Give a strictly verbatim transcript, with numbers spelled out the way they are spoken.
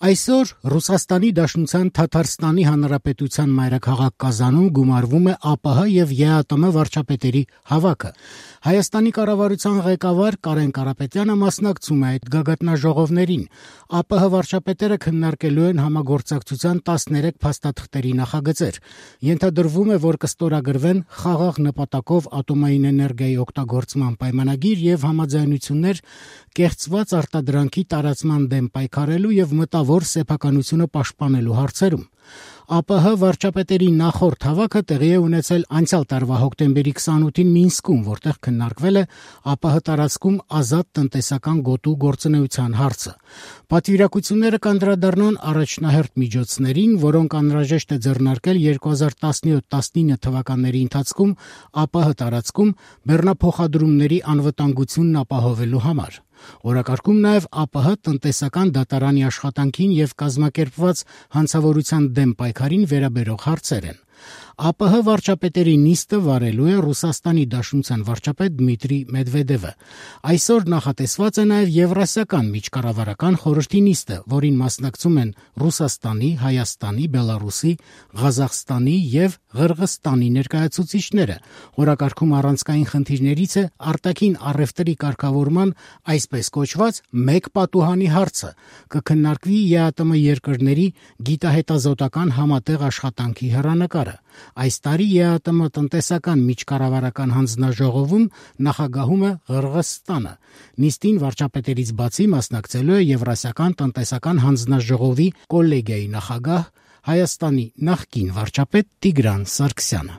Այսօր Ռուսաստանի Դաշնության Թաթարստանի Հանրապետության մայրաքաղաք Կազանում գումարվում է ԱՊՀ եւ ԵԱՏՄ վարչապետերի հավաքը։ Հայաստանի կառավարության ղեկավար Կարեն Կարապետյանը մասնակցում է այդ գագաթնաժողովներին։ ԱՊՀ վարչապետերը քննարկելու են համագործակցության տասներեք փաստաթղթերի նախագծեր։ Ենթադրվում է, որ կստորագրվեն խաղաղ նպատակով ատոմային էներգիայի օգտագործման պայմանագիր եւ համաձայնություններ կեղծված արտադրանքի տարածման դեմ պայքարելու եւ մտավոր սեփականությունը պաշտպանելու հարցերում։ ԱՊՀ վարչապետերի նախորդ հավաքը տեղի է ունեցել անցյալ տարվա հոկտեմբերի քսանութին Մինսկում, որտեղ քննարկվել է ԱՊՀ տարածքում ազատ տնտեսական գոտու գործունեության հարցը։ Պատվիրակությունները կանդրադառնան առաջնահերթ միջոցներին, որոնք անհրաժեշտ է ձեռնարկել երկու հազար տասնյոթ տասնինը թվականների ընթացքում ԱՊՀ տարածքում բեռնափոխադրումների անվտանգությունն ապահովելու համար։ Օրակարգում նաև ԱՊՀ տնտեսական դատարանի աշխատանքին եւ կազմակերպված հանցավորության դեմ պայքարին վերաբերող հարցեր են։ ԱՊՀ վարչապետերի նիստը վարելու է Ռուսաստանի Դաշնության վարչապետ Դմիտրի Մեդվեդևը։ Այսօր նախատեսված է նաև Եվրասիական միջկառավարական խորհրդի նիստը, որին մասնակցում են Ռուսաստանի, Հայաստանի, Բելարուսի, Ղազախստանի եւ Ղրղըզստանի ներկայացուցիչները։ Օրակարգում առանցքային խնդիրներից է արտաքին առևտրի կարգավորման այսպես կոչված մեկ պատուհանի հարցը։ Կքննարկվի ԵԱՏՄ երկրների գիտահետազոտական համատեղ աշխատանքի հեռանկարը։ Այս տարի ԵԱՏՄ տնտեսական միջկառավարական հանձնաժողովում նախագահում է Ղրղըզստանը։ Նիստին վարչապետերից բացի մասնակցելու է Եվրասիական տնտեսական հանձնաժողովի կոլեգիայի նախագահ Հայաստանի նախկին վարչապետ Տիգրան Սարգսյանը։